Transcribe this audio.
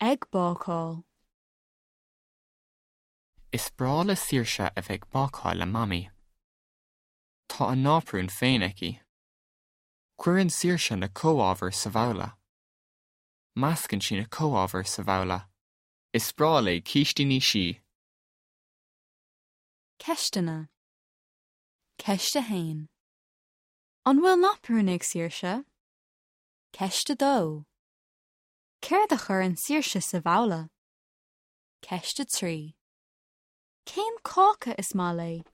Ag bácáil. Is breá le Saoirse a bheith ag bácáil le Mamaí. Tá a náprún féin aici. Cuireann Saoirse na comhábhair sa bhabhla. Meascann sí na comhábhair sa bhabhla. Is breá léi cístíní sí. Ceisteanna. Ceist 1. An bhfuil naprún ag Saoirse? Ceist 2. Céard a chuireann Saoirse sa bhabhla? Ceist 3. Cén cáca is maith léi?